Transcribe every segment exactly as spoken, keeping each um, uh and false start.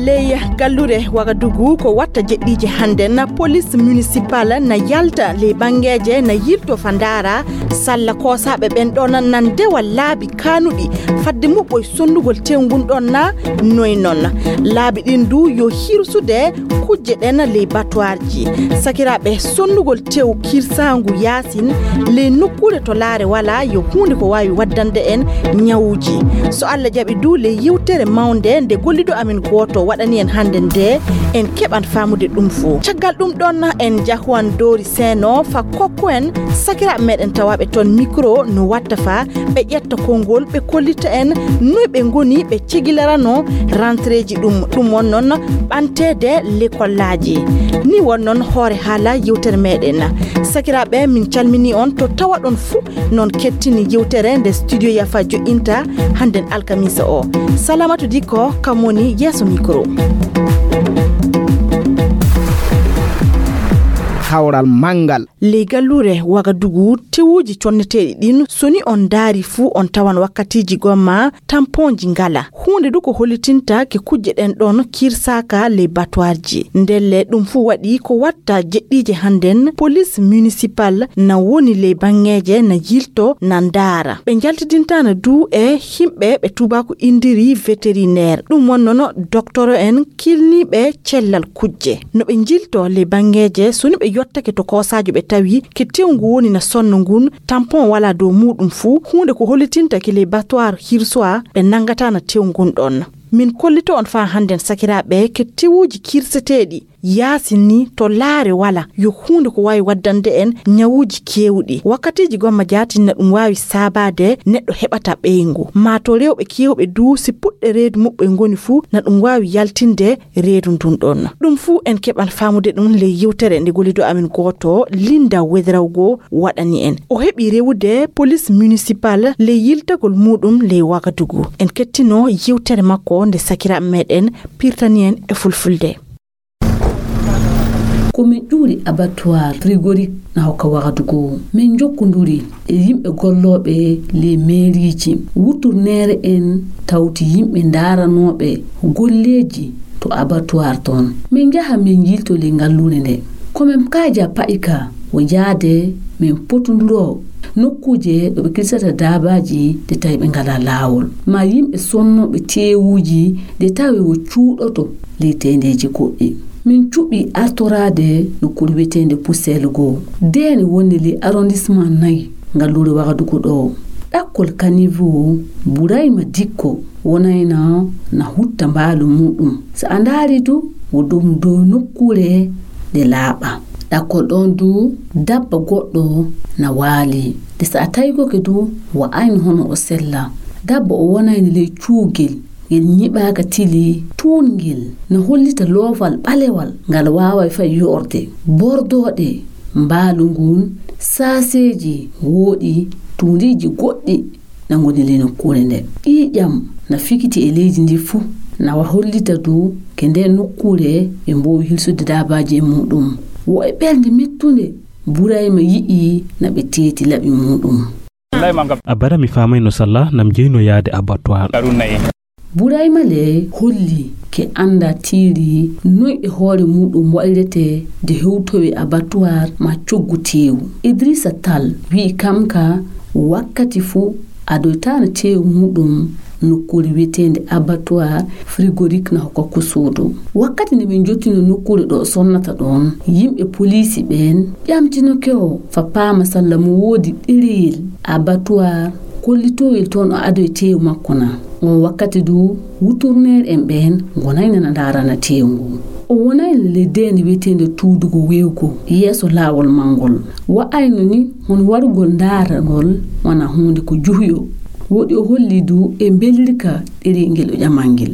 Ley gallure Wagadugu ko watta jeɗɗiije hannden, police municipal na yalta ley banngeeje na yilto fa ndaara salla koosaaɓe ɓen ɗon na ndewa laabi kaanuɗi fadde muɓɓoy sonnugol tew ngun ɗon na noy non. Laabi ɗin du yo hirsude kujje ɗen ley batuwaarji. Sakiraaɓe, sonnugol tew kirsaangu yaasin ley nokkuure to laare walaa yo huunde ko waawi waddande en ñawuuji. So Alla jaɓi du, ley yewtere mawnde nde golliɗo amin gooto waɗani en hannde nde, en keɓan faamude ɗum fof. Caggal ɗum ɗon, en njahuwan Doori Seeno fa kokku en sakiraaɓe meɗen tawaaɓe toon micro no watta fa ɓe ƴetta konngol, ɓe kollita en noy ɓe ngoni, ɓe cegilarano rentreeji ɗum, ɗum won noon ɓanteede lekollaaji. Ni won noon hoore haala yewtere meɗen. Sakiraaɓe, min calmini on to tawaɗon fuu, noon kettini yewtere nde studio Yafa joƴƴinta hannden alkamisa o. Salamatu Dikko kam woni yeeso micro. Hawral manngal. Ley galluure Wagadugu, tewuuji conneteeɗi ɗin, so ni on ndaari fuu, on tawan wakkatiiji gomma tamponji ngala. Huunde du ko hollitinta ke kujje ɗen ɗon kirsaaka ley batuwaarji. Ndelle ɗum fuu waɗi ko watta jeɗɗiije hannden, police municipal na woni ley banngeeje na yilto na ndaara. Ɓe njaltidintaana du e himɓe ɓe tuubaaku inndiri vétérinaire. Ɗum won noon docteur en kilniiɓe cellal kujje. No ɓe njilto ley banngeeje, so ni ɓe yottake to koosaajo ɓe tawi ke tew ngu woni na sonno ngun, tampon walaa dow muuɗum fuu, huunde ko hollitinta ke ley batuwaar hirsoa ɓe nanngataana tew ngun ɗon. Min kollito on faa hannden sakiraaɓe ke tewuuji kirseteeɗi yaasin ni to laare walaa yo huunde ko waawi waddande en ñawuuji keewɗi. Wakkatiiji gomma jaatin na ɗum waawi saabaade neɗɗo heɓata ɓeyngu. Maa to rewɓe keewɓe duu si puɗɗe reedu muɓɓe ngoni fuu na ɗum waawi yaltinde reedu ndun ɗon. Ɗum fuu en keɓan faamude ɗum ley yewtere nde gollido amin gooto Linda Wedrawgo waɗani en. O heɓi rewude police municipal ley yiltagol muuɗum ley Wagadugu. En kettino yewtere makko nde sakiraaɓe meɗen pirtani en e fulfulde. Ko min ƴuuri abattoir frigorique na hokka Wagadugu. Min njokkonduri e yimɓe gollooɓe ley meeriiji, wuturneere en tawti yimɓe ndaaranooɓe golleeji to abattoir toon. Min njaha min yilto ley ngalluure nde. Ko min kaaja pa'i ka wo jaade min potonduroo nokkuuje ɗo ɓe kirsata daabaaji de tawi ɓe ngalaa laawol. Maa yimɓe sonnooɓe teewuuji de tawi wo cuuɗoto ley teendeeji goɗɗi. Min cuɓii artoraade nokkuure wiyeteende Pusel goo. Deene wonde ley arrondissement nayi ngalluure Wagadugu ɗo. Ɗakkol caniveau Burayma Dikko wonayno na hutta mbaalu muuɗum. So a ndaari du, wo ɗum dow nokkuure nde laaɓa. Ɗakkol ɗoon du, dabba goɗɗo na waali. De so a taygoke du, wo ayno hono o sella. Dabba o wonayno ley cuugel, ngel ñiɓaaka tili, tuungel, na hollita loofal ɓalewal, ngal waaway fay yoorde. Bordooɗe mbaalu ngun, saaseeji wooɗi, tuundiiji goɗɗi na ngoni ley nokkuure nde. Ƴiiƴam na fikiti e leydi ndi fuu, na wa hollita du ke ndee nokkuure ɓe mboowi hilsude daabaaji e muuɗum. Wo e ɓernde mettunde Burayma yi'i na ɓe teeti laɓi muuɗum. Abada mi faamay no salla nam jeyno yaade abattoir. Burayma le holli ke annda tiiri noy e hoore muuɗum waɗirete de hewtowe abattoir ma coggu teewu. Idrissa Tall wi'i kam ka wakkati fuu adoytaano teewu muuɗum nokkuure wiyeteende abattoir frigorique na hokka Kusuudu. Wakkati nde min njottino nokkuure ɗo sonnata ɗoon, yimɓe poliisi ɓeen ƴamtinoke o fa paama salla mo woodi ɗereyel abattoir kollitoowel toon o adoy teewu makko na. Oon wakkati du, wuturneer en ɓeen ngonayno na ndaarana teewu ngun. O wonayno ley deende wiyeteende Tuudugo Wewgo yeeso laawol mangol. Wa'ayno ni hono warugol ndaaragol wona huunde ko juhuyo. Woɗi o holli du e mbelirka ɗereyel ngel o ƴamaa ngel.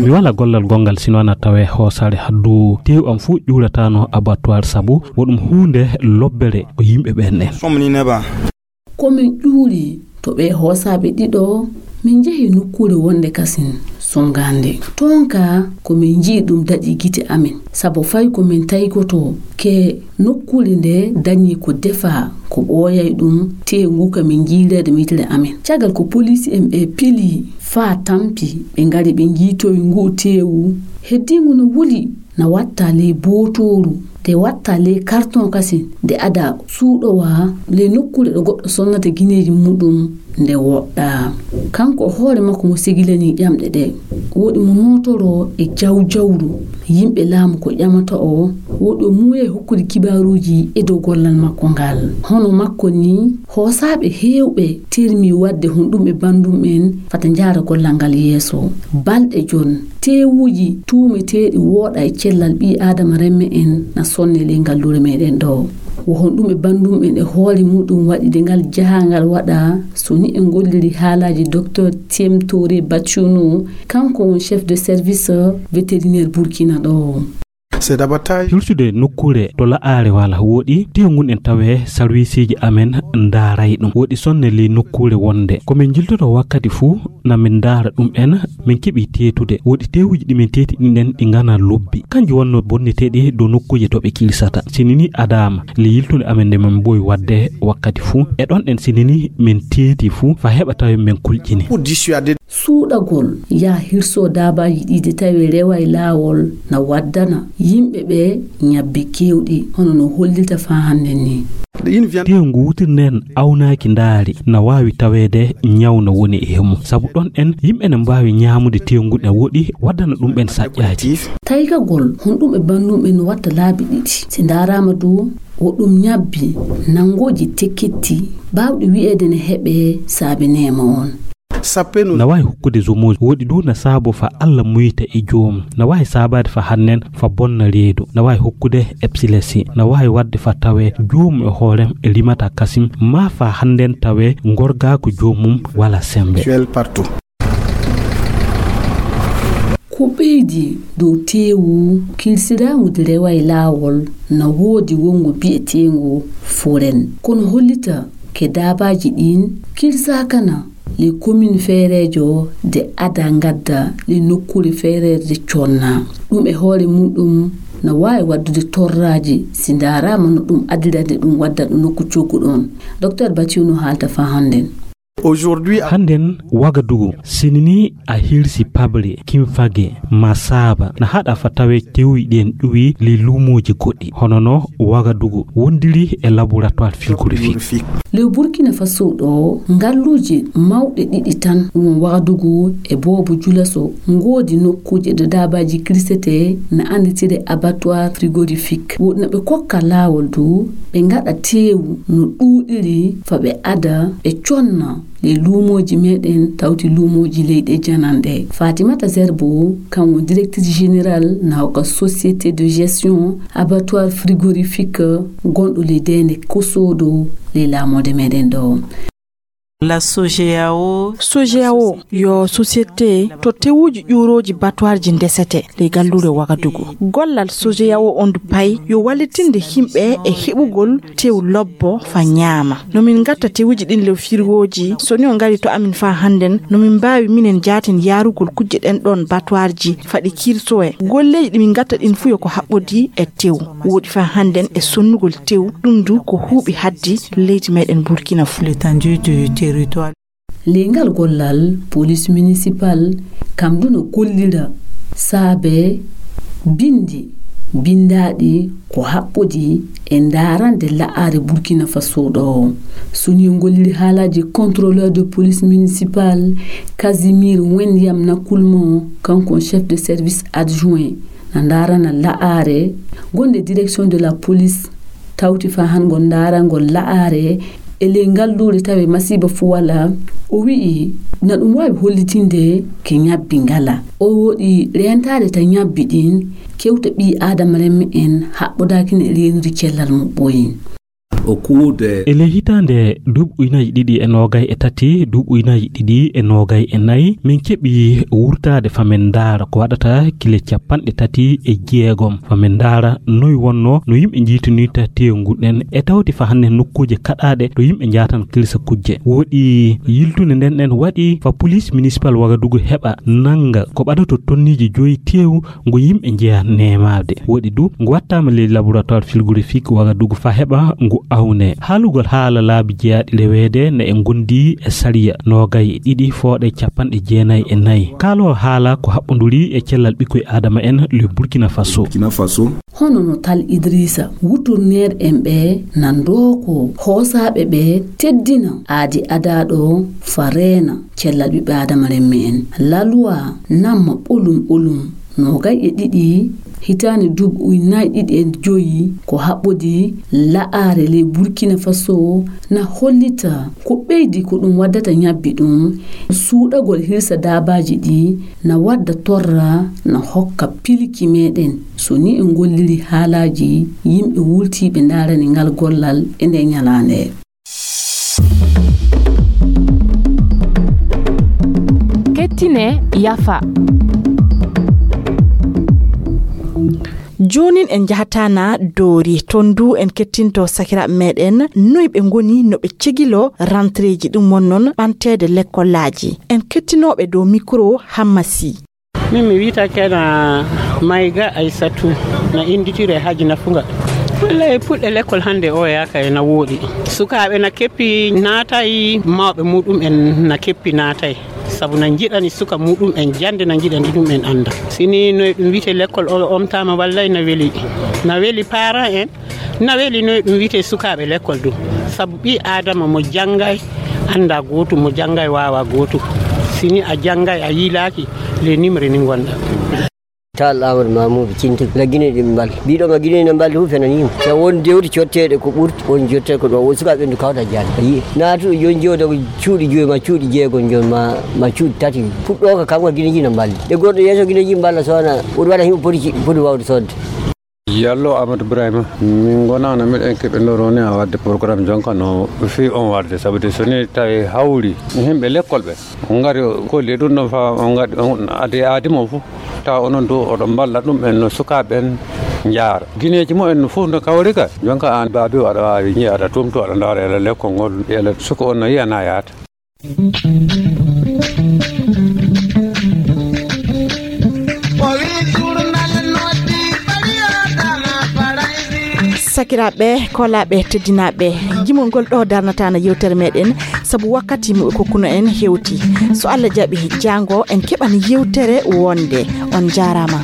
Mi walaa gollal gonngal sino na tawee hoosaare haddu teewu am fuu ƴuurataano abattoir sabu wo ɗum huunde lobbere ko yimɓe ɓeen en. Ko min ƴuuri to ɓee hoosaaɓe ɗiɗo, min njehi nokkuure wonnde kasin. Songande. Toon ka ko min njiyi ɗum daɗi gite amen. Sabu fay ko min taygotoo ke nokkuure nde dañi ko defaa ko ɓooyay ɗum teewu ka min njiileede mitre amen. Caggal ko poliisi en ɓe pili faa tampi ɓe ngari ɓe njiitoyi nguu teewu. Heddiingu no wuli na watta ley bootooru, nde watta ley karton kasin, nde ada suuɗowa ley nokkuure ɗo goɗɗo sonnata gineeji muɗum nde woɗɗa. Kanko hoore makko mo segilani ƴamɗe ɗe. Woɗi mo nootoro e jawjawru. Yimɓe laamu ko ƴamata o, woɗi o muuya e hokkude kibaaruuji e dow gollal makko ngal. Hono makko ni, hoosaaɓe heewɓe termi waɗde honɗum e banndum en fata njaara gollal ngal yeeso. Balɗe jon, teewuuji tuumeteeɗi wooɗa e cellal ɓii Aadama remme en na sonne ley ngalluure meɗen ɗo. Wo honɗum e banndum en e hoore muɗum waɗi de ngal jahangal waɗa so ni en golliri haalaaji Docteur Tiem Touré Baciuno, kanko won chef de service vétérinaire Burkina ɗo. Hirsude nokkuure to la'aare wala woɗi, teewu ngun en tawe sarwiisiiji amen ndaaray ɗum. Woɗi sonne ley nokkuure wonde. Ko min njiltoto wakkati fuu na min ndaara ɗum en, min keɓi teetude. Woɗi teewuuji ɗi min teeti ɗin ɗen ɗi ngana lobbi. Kanji wonno bonneteeɗi dow nokkuuje to ɓe kilsata. Sini ni adaama, ley yiltude amen nde min mboyi waɗde wakkati fuu. E ɗon ɗen sini ni min teeti fuu, fa heɓa tawi min kulƴini. Suuɗagol yaa hirso daabaaji ɗi de tawi reway laawol na waddana yimɓe ɓe ñabbi keewɗi, hono no hollita faa hannden ni. Teewu ngu wutirnde en awnaaki ndaari na waawi taweede ñaw na woni e hemu. Sabu ɗon ɗen yimɓe na mbaawi ñaamude teewu ngu na woɗi waddana ɗum ɓen saƴƴaaji. Taygagol honɗum e banndum en no watta laabi ɗiɗi. Si ndaaraama du, wo ɗum ñabbi nanngooji tekkitti baawɗi wi'eede ne heɓe saabe neema on. Na waawi hokkude zomooji. Woɗi du na saabo fa Alla muyta e joomum. Na waawi saabaade fa hannden fa bonna reedu. Na waawi hokkude epilepsie. Na waawi waɗde fa tawee joomum e hoorem rimata kasim. Maa fa hannden tawee ngorgaaku joomum wala semmbe. Ko ɓeydi dow teewu kilsidaangu de reway laawol na woodi wonngo bi'eteengo foren. Kono hollita ke daabaaji ɗin kilsaakana ley komin feereejo de ada ngadda ley nokkuure feereerde conna. Ɗum e hoore muɗum na waawi waddude torraaji si ndaaraama no ɗum addirade ɗum wadda ɗum nokku coggu ɗon. Docteur Baciuno haalta faa hannden. Hannden Wagadugu, sini ni a hirsi Pabre, Kimfage, maa Saaba, na haɗa fa tawee teewuji ɗen ƴuwi ley luumooji goɗɗi, hono no Wagadugu wondiri e laboratoire frigorifique. Ley Burkina Faso ɗo, ngalluuje mawɗe ɗiɗi tan won Wagadugu e Boobo Julaso, ngoodi nokkuuje ɗo daabaaji kirsetee na annditire abattoir frigorifique. Woɗi na ɓe kokka laawol du, ɓe ngaɗa teewu no ɗuuɗiri fa ɓe ada ɓe conna ley luumooji meɗen tawti luumooji leyɗe jananɗe. Fatimata Zerbo, kan won directrice générale na hokka Société de gestion abattoir frigorifique gonɗo ley deende Kosodo ley laamoode meɗen ɗo. La Sogeyao. Sogeyao yo société to tewuji ƴuurooji battoirji ndesete ley galluure Wagadugu. Gollal Sogeyao on du pay yo wallitinde himɓe e heɓugol tew lobbo fa ñaama. No min ngatta tewuji ɗin lew firgooji, so ni o ngari to amin faa hannden, no min mbaawi minen jaatin yaarugol kujje ɗen ɗon battoirji fa ɗi kirsoye. Golleeji ɗi min ngatta ɗin fuu yo ko haɓɓodii e tew. Woɗi faa hannden e sonnugol tew, ɗum du ko huuɓi haddi leydi meɗen Burkina fuu. L'étendue du territoire. Ley ngal gollal, police municipal kam du no gollira saabe binndi binndaaɗi ko haɓɓodii e ndaarande la'aare Burkina Faso ɗo. So ni ngolliri haalaaji contrôleur de police municipale Casimir Wendiam Nakulmo, kanko on chef de service adjoint na ndaarana la'aare gonde direction de la police tawti faa han ngol ndaarangol la'aare e ley ngalluure tawi masiiba fuu walaa. O wi'i na ɗum waawi hollitinde ke ñabbi ngala. O woɗi reentaade ta ñabbi ɗin kewta ɓii aadama remme en haɓɓodaaki ne reenude cellal muɓɓoyin. E ley hitaande duuɓi ujunaaji ɗiɗi e noogay e tati, duuɓi ujunaaji ɗiɗi e noogay e nayi, min keɓi wurtaade fa min ndaara ko waɗata kile capanɗe tati e jeegom. Fa min ndaara noy wonnoo, no yimɓe njiytunirta teewu ngun e tawti fa hannde nokkuuje kaɗaaɗe to yimɓe njahata kilsa kujje. Woɗi yiltunde nden ɗen waɗi fa police municipal Wagadugu heɓa nannga ko ɓadato tonniiji joyi teewu ngu yimɓe njeya neemaade. Woɗi du ngu wattaama ley laboratoire phylogéographique Wagadugu fa heɓa ngu awne. Haalugol haala laabi jeyaaɗi reweede ne e ngondi e sariya noogay e ɗiɗi fooɗe capanɗe jeenayi e nayi. Kaaloowo haala ko haɓɓonduri e cellal ɓikkoy aadama en le Burkina Faso. Hono no Tal Idrissa, wuturneer en ɓe nandoo ko hoosaaɓe ɓe teddina aadi adaaɗo fa reena cellal ɓiɓɓe aadama remme en. Laluwa namma ɓolum ɓolum noogay e ɗiɗi hitaande duuɓi ujunaaji ɗiɗi e joyi ko haɓɓodi la'aare ley Burkina Faso na hollita ko ɓeydi ko ɗum waddata ñabbi ɗum suuɗagol hirsa daabaaji ɗi na wadda torra na hokka pilki meɗen. So ni en golliri haalaaji yimɓe wultiiɓe ndaarani ngal gollal e nde ñalaande. Kettine yafa. Joonin en njahata na Doori, ton du en kettinto sakiraaɓe meɗen noy ɓe ngoni no ɓe cegilo rantreeji ɗum won noon ɓanteede lekkolaaji. En kettinooɓe dow mikro Hammasi. Min mi wiyata kena Mayga Aysatu, na innditire Haji Nafunga. Wallay puɗɗe lekkol hannde o yaaka e na wooɗi. Sukaaɓe na keppi naatay, mawɓe muɗum en na keppi naatay. Sabu na njiɗani suka muɗum en jannde, na njiɗani ɗum en annda. Sini no e ɗum wiyte lekkol o omtaama, wallay na weli. Na weli parent en, na weli no e ɗum wiyte sukaaɓe lekkol du. Sabu ɓii Aadama mo janngay annda gootum, mo janngay waawa gootum. Sini a janngay a yiilaaki, le nimre ni ngonɗa. Tal Amadou Mamoudou Cinti, la Guinée ɗi mbal. Mbiɗo ma Guinée ne mbal hu fena ni. Sa won dewti cotteɗe ko ɓurti, won jotte ko ɗo, won sukaaɓe ɓe ndu kawta jani. A yi, naatu jon jooda ko cuuɗi joyi ma, cuuɗi jeego jon ma, ma cuuɗi tati. Puɗɗo ka kam ko Guinée ji na mbal. Ɗe goɗɗo yeeso Guinée ji mballa sona, woɗi waɗa himɓe poti ci-, poti wawde sodde. Yallo Amadou Ibrahima, min gonano miɗen keɓe ndoroni a wadde programme jonka no fi on warde, sabu de so ni tawi hawri himɓe lekkol ɓe. On ngari o kolli ɗum ɗon fa on ngadi on adi aadi mo fof. Tawa onon dow oɗon mballa ɗum en no sukaaɓe en njaara. Gineeji mo en no fof no kawri ka. Jonka an baabi aɗa waawi ñi aɗa tumtu aɗa ndaara ela lekkol ngol ela suka on no yiyana yaata. Sakiraaɓe, koolaaɓe, teddinaaɓe, jimol ngol ɗo darnataano yewtere meɗen, sabu wakkati mo ɓe kokkuno en hewti. So Allah jaɓi, jaango en keɓan yewtere wonde. On jaaraama.